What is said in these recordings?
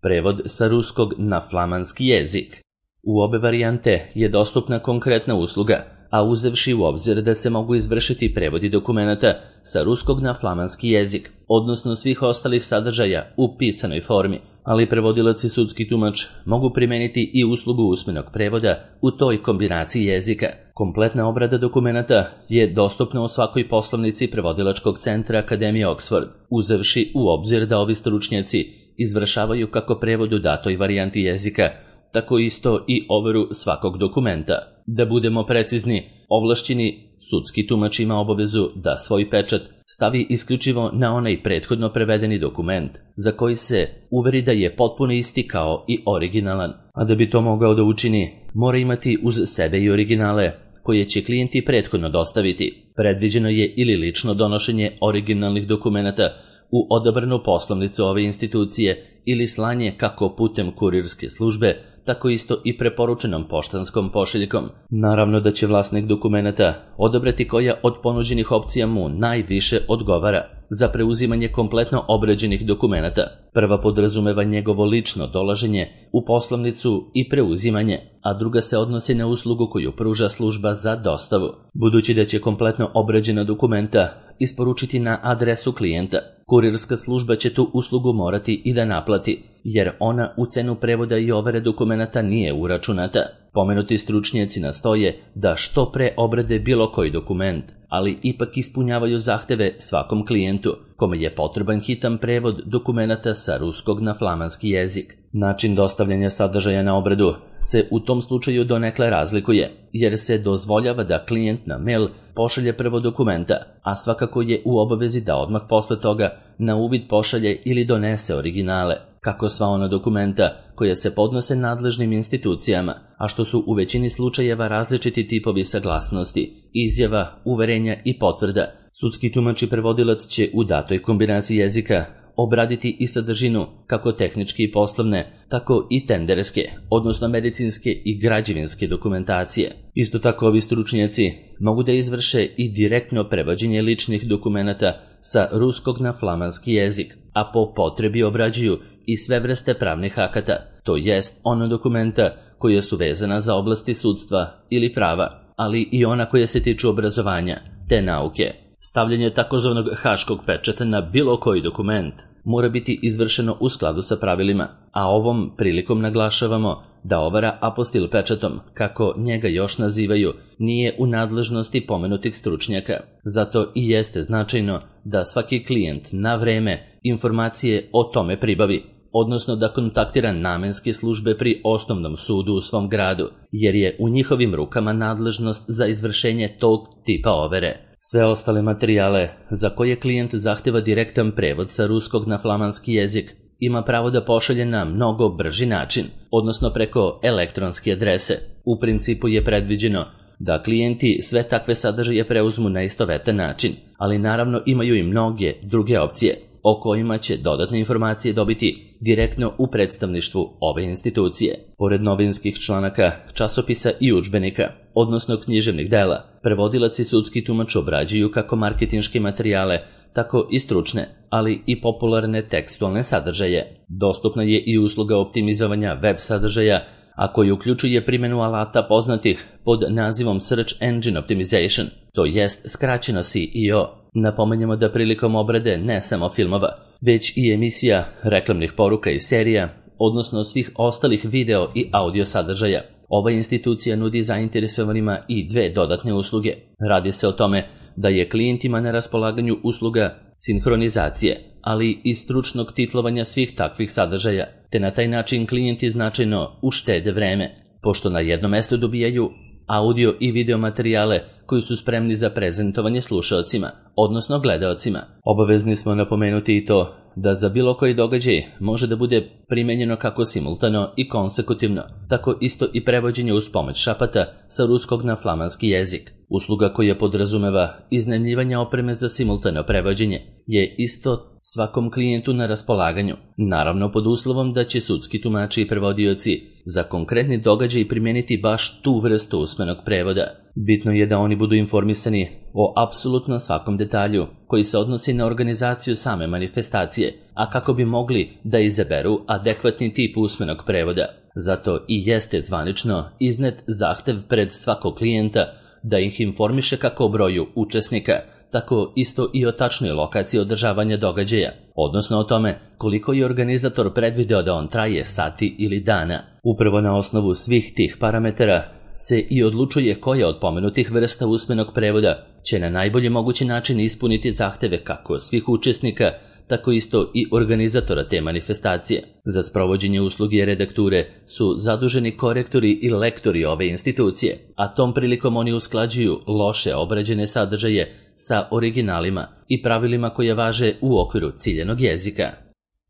prevod sa ruskog na flamanski jezik. U obe varijante je dostupna konkretna usluga, a uzevši u obzir da se mogu izvršiti prevodi dokumenata sa ruskog na flamanski jezik, odnosno svih ostalih sadržaja u pisanoj formi, ali prevodilac i sudski tumač mogu primeniti i uslugu usmenog prevoda u toj kombinaciji jezika. Kompletna obrada dokumenata je dostupna u svakoj poslovnici prevodilačkog centra Akademije Oxford, uzevši u obzir da ovi stručnjaci izvršavaju kako prevod u datoj varijanti jezika, tako isto i overu svakog dokumenta. Da budemo precizni, ovlašćeni sudski tumač ima obavezu da svoj pečat stavi isključivo na onaj prethodno prevedeni dokument, za koji se uveri da je potpuno isti kao i originalan, a da bi to mogao da učini, mora imati uz sebe i originale koje će klijenti prethodno dostaviti. Predviđeno je ili lično donošenje originalnih dokumenata u odabranu poslovnicu ove institucije ili slanje kako putem kurirske službe, tako isto i preporučenom poštanskom pošiljkom. Naravno da će vlasnik dokumenata odabrati koja od ponuđenih opcija mu najviše odgovara za preuzimanje kompletno obrađenih dokumenata. Prva podrazumeva njegovo lično dolaženje u poslovnicu i preuzimanje, a druga se odnosi na uslugu koju pruža služba za dostavu. Budući da će kompletno obrađena dokumenta isporučiti na adresu klijenta, kurirska služba će tu uslugu morati i da naplati, jer ona u cenu prevoda i overe dokumenata nije uračunata. Pomenuti stručnjaci nastoje da što pre obrade bilo koji dokument, ali ipak ispunjavaju zahteve svakom klijentu kome je potreban hitan prevod dokumenata sa ruskog na flamanski jezik. Način dostavljanja sadržaja na obradu se u tom slučaju donekle razlikuje, jer se dozvoljava da klijent na mail pošalje prvo dokumenta, a svakako je u obavezi da odmah posle toga na uvid pošalje ili donese originale, kako sva ona dokumenta koja se podnose nadležnim institucijama, a što su u većini slučajeva različiti tipovi saglasnosti, izjava, uverenja i potvrda. Sudski tumač i prevodilac će u datoj kombinaciji jezika obraditi i sadržinu kako tehničke i poslovne, tako i tenderske, odnosno medicinske i građevinske dokumentacije. Isto tako ovi stručnjaci mogu da izvrše i direktno prevođenje ličnih dokumenata sa ruskog na flamanski jezik, a po potrebi obrađuju i sve vrste pravnih akata, to jest ona dokumenta koja su vezana za oblasti sudstva ili prava, ali i ona koja se tiču obrazovanja te nauke. Stavljanje takozvanog haškog pečata na bilo koji dokument mora biti izvršeno u skladu sa pravilima, a ovom prilikom naglašavamo da overa apostil pečatom, kako njega još nazivaju, nije u nadležnosti pomenutih stručnjaka. Zato i jeste značajno da svaki klijent na vreme informacije o tome pribavi, odnosno da kontaktira namenske službe pri osnovnom sudu u svom gradu, jer je u njihovim rukama nadležnost za izvršenje tog tipa overe. Sve ostale materijale za koje klijent zahteva direktan prevod sa ruskog na flamanski jezik ima pravo da pošalje na mnogo brži način, odnosno preko elektronske adrese. U principu je predviđeno da klijenti sve takve sadržaje preuzmu na istovetan način, ali naravno imaju i mnoge druge opcije o kojima će dodatne informacije dobiti direktno u predstavništvu ove institucije. Pored novinskih članaka, časopisa i udžbenika, odnosno književnih dela, prevodilac i sudski tumač obrađuju kako marketinške materijale, tako i stručne, ali i popularne tekstualne sadržaje. Dostupna je i usluga optimizovanja web sadržaja, a koji uključuje primjenu alata poznatih pod nazivom Search Engine Optimization, to jest skraćeno SEO. Napomenjamo da prilikom obrade ne samo filmova, već i emisija, reklamnih poruka i serija, odnosno svih ostalih video i audio sadržaja, ova institucija nudi zainteresovanima i dve dodatne usluge. Radi se o tome da je klijentima na raspolaganju usluga sinhronizacije, ali i stručnog titlovanja svih takvih sadržaja, te na taj način klijenti značajno uštede vreme, pošto na jednom mestu dobijaju audio i video materijale koji su spremni za prezentovanje slušaocima, odnosno gledaocima. Obavezni smo napomenuti i to da za bilo koji događaj može da bude primenjeno kako simultano i konsekutivno, tako isto i prevođenje uz pomoć šapata sa ruskog na flamanski jezik. Usluga koja podrazumeva iznajmljivanje opreme za simultano prevođenje je isto svakom klijentu na raspolaganju, naravno pod uslovom da će sudski tumači i prevodioci za konkretni događaj primijeniti baš tu vrstu usmenog prevoda. Bitno je da oni budu informisani o apsolutno svakom detalju koji se odnosi na organizaciju same manifestacije, a kako bi mogli da izaberu adekvatni tip usmenog prevoda. Zato i jeste zvanično iznet zahtev pred svakog klijenta da ih informiše kako o broju učesnika, tako isto i o tačnoj lokaciji održavanja događaja, odnosno o tome koliko je organizator predvideo da on traje sati ili dana. Upravo na osnovu svih tih parametara se i odlučuje koja od pomenutih vrsta usmenog prevoda će na najbolji mogući način ispuniti zahteve kako svih učesnika, tako isto i organizatora te manifestacije. Za sprovođenje usluge redakture su zaduženi korektori i lektori ove institucije, a tom prilikom oni usklađuju loše obrađene sadržaje sa originalima i pravilima koje važe u okviru ciljanog jezika.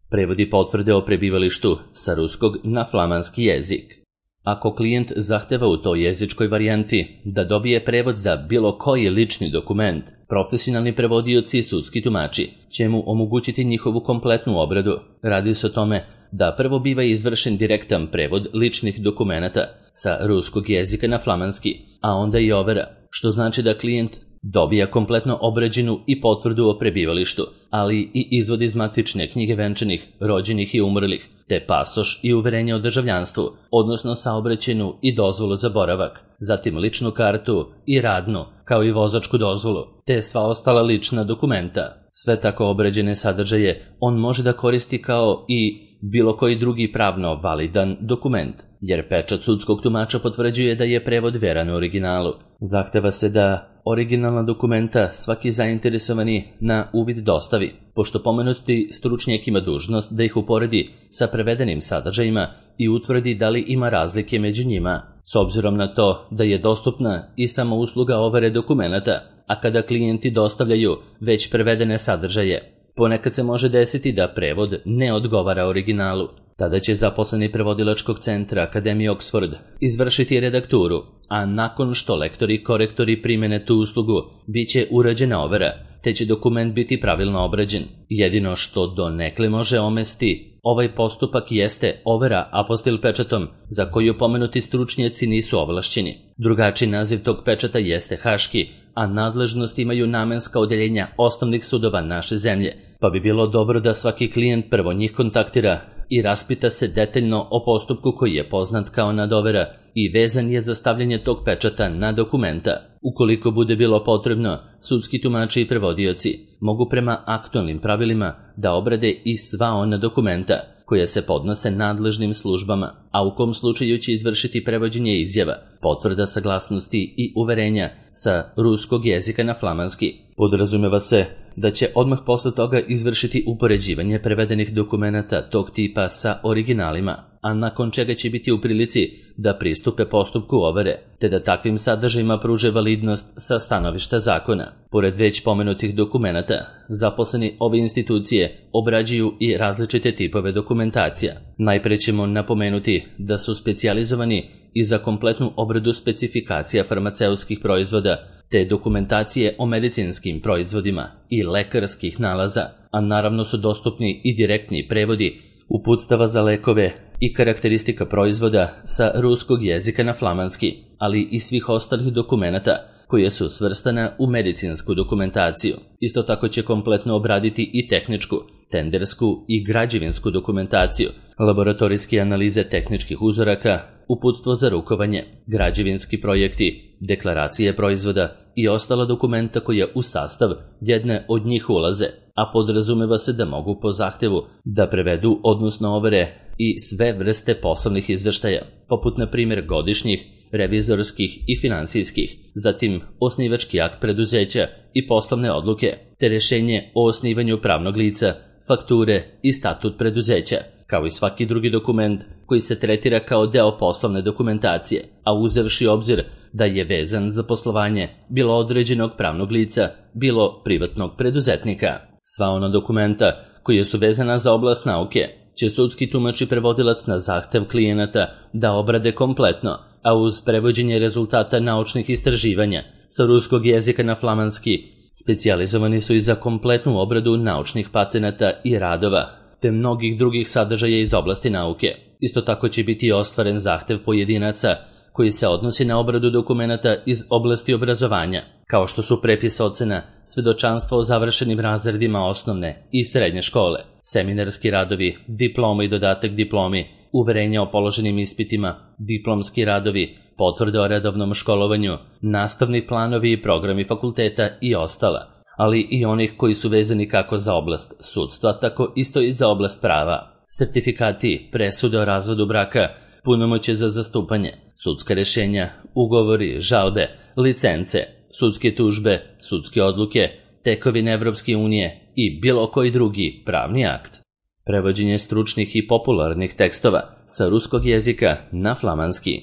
Prevodi potvrde o prebivalištu sa ruskog na flamanski jezik. Ako klijent zahteva u toj jezičkoj varijanti da dobije prevod za bilo koji lični dokument, profesionalni prevodioci i sudski tumači će mu omogućiti njihovu kompletnu obradu. Radi se o tome da prvo biva izvršen direktan prevod ličnih dokumenata sa ruskog jezika na flamanski, a onda i overa, što znači da klijent dobija kompletno obrađenu i potvrdu o prebivalištu, ali i izvod iz matične knjige venčanih, rođenih i umrlih, te pasoš i uverenje o državljanstvu, odnosno saobraćajnu i dozvolu za boravak, zatim ličnu kartu i radnu, kao i vozačku dozvolu, te sva ostala lična dokumenta. Sve tako obrađene sadržaje on može da koristi kao i bilo koji drugi pravno validan dokument, jer pečat sudskog tumača potvrđuje da je prevod veran u originalu. Zahteva se da originalna dokumenta svaki zainteresovani na uvid dostavi, pošto pomenuti stručnjak ima dužnost da ih uporedi sa prevedenim sadržajima i utvrdi da li ima razlike među njima, s obzirom na to da je dostupna i samo usluga overe dokumenata, a kada klijenti dostavljaju već prevedene sadržaje, ponekad se može desiti da prevod ne odgovara originalu. Tada će zaposleni prevodilačkog centra Akademije Oxford izvršiti redakturu, a nakon što lektori i korektori primene tu uslugu, bit će urađena overa, te će dokument biti pravilno obrađen. Jedino što donekle može omesti ovaj postupak jeste overa apostil pečatom, za koju pomenuti stručnjaci nisu ovlašćeni. Drugačiji naziv tog pečata jeste haški, a nadležnost imaju namenska odeljenja osnovnih sudova naše zemlje, pa bi bilo dobro da svaki klijent prvo njih kontaktira i raspita se detaljno o postupku koji je poznat kao nadovera i vezan je za stavljanje tog pečata na dokumenta. Ukoliko bude bilo potrebno, sudski tumači i prevodioci mogu prema aktualnim pravilima da obrade i sva ona dokumenta koja se podnose nadležnim službama, a u kom slučaju će izvršiti prevođenje izjava, potvrda saglasnosti i uverenja sa ruskog jezika na flamanski. Podrazumeva se da će odmah posle toga izvršiti upoređivanje prevedenih dokumenata tog tipa sa originalima, a nakon čega će biti u prilici da pristupe postupku overe, te da takvim sadržajima pruže validnost sa stanovišta zakona. Pored već pomenutih dokumenata, zaposleni ove institucije obrađuju i različite tipove dokumentacija. Najpre ćemo napomenuti da su specijalizovani i za kompletnu obradu specifikacija farmaceutskih proizvoda, te dokumentacije o medicinskim proizvodima i lekarskih nalaza, a naravno su dostupni i direktni prevodi uputstava za lekove i karakteristika proizvoda sa ruskog jezika na flamanski, ali i svih ostalih dokumenata koje su svrstana u medicinsku dokumentaciju. Isto tako će kompletno obraditi i tehničku, tendersku i građevinsku dokumentaciju, laboratorijske analize tehničkih uzoraka, uputstvo za rukovanje, građevinski projekti, deklaracije proizvoda i ostala dokumenta koja u sastav jedne od njih ulaze, a podrazumeva se da mogu po zahtevu da prevedu odnosno overe i sve vrste poslovnih izveštaja, poput na primjer godišnjih, revizorskih i finansijskih, zatim osnivački akt preduzeća i poslovne odluke, te rješenje o osnivanju pravnog lica, fakture i statut preduzeća, kao i svaki drugi dokument koji se tretira kao deo poslovne dokumentacije, a uzevši obzir da je vezan za poslovanje bilo određenog pravnog lica, bilo privatnog preduzetnika. Sva ona dokumenta koje su vezana za oblast nauke će sudski tumač i prevodilac na zahtev klijenata da obrade kompletno, a uz prevođenje rezultata naučnih istraživanja sa ruskog jezika na flamanski Specijalizovani su i za kompletnu obradu naučnih patenata i radova, te mnogih drugih sadržaja iz oblasti nauke. Isto tako će biti ostvaren zahtev pojedinaca koji se odnosi na obradu dokumenata iz oblasti obrazovanja, kao što su prepis ocena, svedočanstva o završenim razredima osnovne i srednje škole, seminarski radovi, diploma i dodatak diplomi, uverenja o položenim ispitima, diplomski radovi, potvrde o redovnom školovanju, nastavni planovi i programi fakulteta i ostala, ali i onih koji su vezani kako za oblast sudstva, tako isto i za oblast prava. Sertifikati, presude o razvodu braka, punomoćje za zastupanje, sudska rješenja, ugovori, žalbe, licence, sudske tužbe, sudske odluke, tekovine Evropske unije i bilo koji drugi pravni akt. Prevođenje stručnih i popularnih tekstova sa ruskog jezika na flamanski.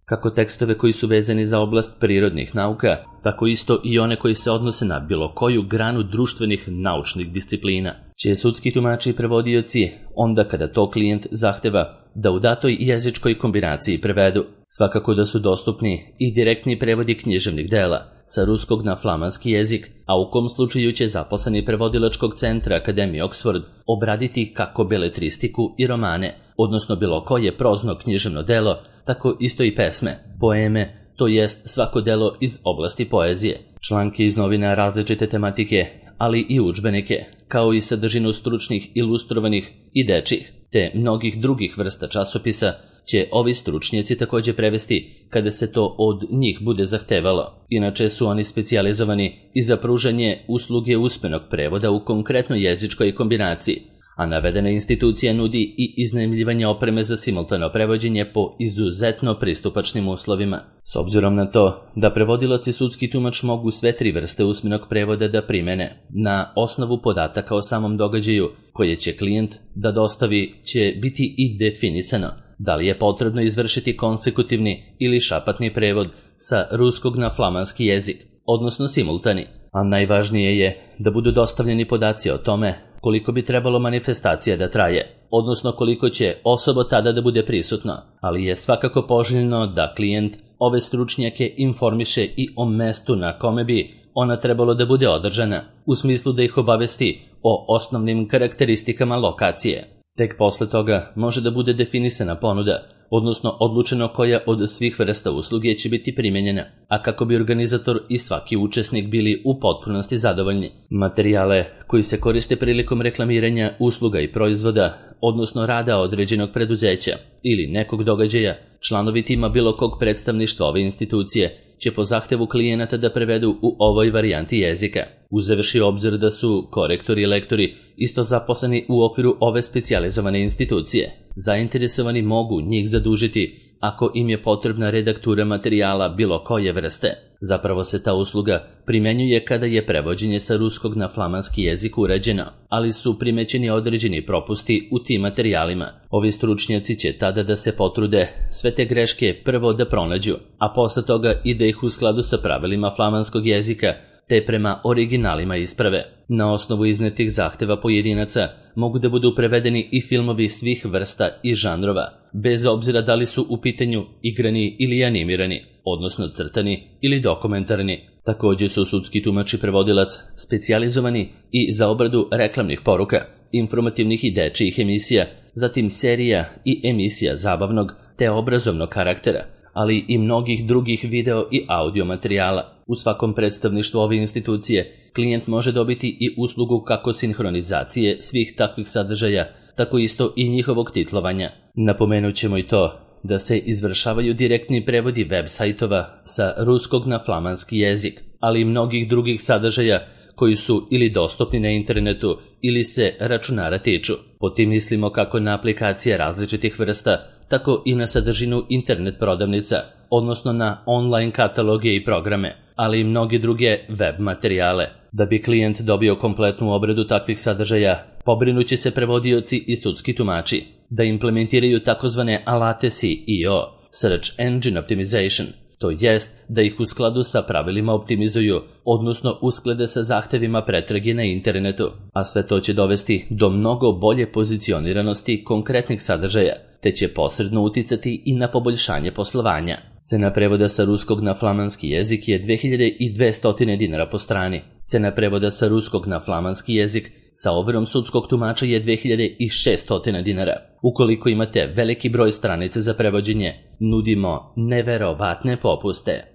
Kako tekstove koji su vezani za oblast prirodnih nauka, tako isto i one koji se odnose na bilo koju granu društvenih naučnih disciplina, će sudski tumači i prevodioci onda kada to klijent zahteva da u datoj jezičkoj kombinaciji prevedu. Svakako da su dostupni i direktni prevodi književnih dela sa ruskog na flamanski jezik, a u kom slučaju će zaposleni prevodilačkog centra Akademije Oxford obraditi kako beletristiku i romane, odnosno bilo koje prozno književno delo, tako isto i pesme, poeme, to jest svako delo iz oblasti poezije, članke iz novina različite tematike, ali i udžbenike, kao i sadržinu stručnih, ilustrovanih i dečjih, te mnogih drugih vrsta časopisa će ovi stručnjaci također prevesti kada se to od njih bude zahtevalo. Inače su oni specijalizovani i za pružanje usluge usmenog prevoda u konkretnoj jezičkoj kombinaciji, a navedena institucija nudi i iznajmljivanje opreme za simultano prevođenje po izuzetno pristupačnim uslovima. S obzirom na to da prevodilac i sudski tumač mogu sve tri vrste usmenog prevoda da primene, na osnovu podataka o samom događaju koje će klijent da dostavi će biti i definisano da li je potrebno izvršiti konsekutivni ili šapatni prevod sa ruskog na flamanski jezik, odnosno simultani, a najvažnije je da budu dostavljeni podaci o tome koliko bi trebalo manifestacija da traje, odnosno koliko će osoba tada da bude prisutno, ali je svakako poželjno da klijent ove stručnjake informiše i o mestu na kome bi ona trebalo da bude održana, u smislu da ih obavesti o osnovnim karakteristikama lokacije. Tek posle toga može da bude definisana ponuda, odnosno odlučeno koja od svih vrsta usluge će biti primjenjena, a kako bi organizator i svaki učesnik bili u potpunosti zadovoljni. Materijale koji se koriste prilikom reklamiranja usluga i proizvoda, odnosno rada određenog preduzeća ili nekog događaja, članovi tima bilo kog predstavništva ove institucije će po zahtevu klijenata da prevedu u ovoj varijanti jezika, uzevši obzir da su korektori i lektori isto zaposleni u okviru ove specijalizovane institucije. Zainteresovani mogu njih zadužiti ako im je potrebna redaktura materijala bilo koje vrste. Zapravo se ta usluga primenjuje kada je prevođenje sa ruskog na flamanski jezik urađeno, ali su primećeni određeni propusti u tim materijalima. Ovi stručnjaci će tada da se potrude sve te greške prvo da pronađu, a posle toga i da ih u skladu sa pravilima flamanskog jezika te prema originalima isprave. Na osnovu iznetih zahteva pojedinaca mogu da budu prevedeni i filmovi svih vrsta i žanrova, bez obzira da li su u pitanju igrani ili animirani, odnosno crtani ili dokumentarni. Također su sudski tumač i prevodilac specijalizovani i za obradu reklamnih poruka, informativnih i dečijih emisija, zatim serija i emisija zabavnog te obrazovnog karaktera, ali i mnogih drugih video i audio materijala. U svakom predstavništvu ove institucije klijent može dobiti i uslugu kako sinhronizacije svih takvih sadržaja, tako isto i njihovog titlovanja. Napomenut ćemo i to da se izvršavaju direktni prevodi web sajtova sa ruskog na flamanski jezik, ali i mnogih drugih sadržaja koji su ili dostupni na internetu ili se računara tiču. Po tim mislimo kako na aplikacije različitih vrsta, tako i na sadržinu internet prodavnica, odnosno na online kataloge i programe, ali i mnoge druge web materijale. Da bi klijent dobio kompletnu obradu takvih sadržaja, pobrinuće se prevodioci i sudski tumači da implementiraju takozvane alate SEO, Search Engine Optimization, to jest da ih u skladu sa pravilima optimizuju, odnosno usklade sa zahtevima pretrage na internetu, a sve to će dovesti do mnogo bolje pozicioniranosti konkretnih sadržaja, te će posredno uticati i na poboljšanje poslovanja. Cena prevoda sa ruskog na flamanski jezik je 2200 dinara po strani. Cena prevoda sa ruskog na flamanski jezik sa overom sudskog tumača je 2600 dinara. Ukoliko imate veliki broj stranica za prevođenje, nudimo neverovatne popuste.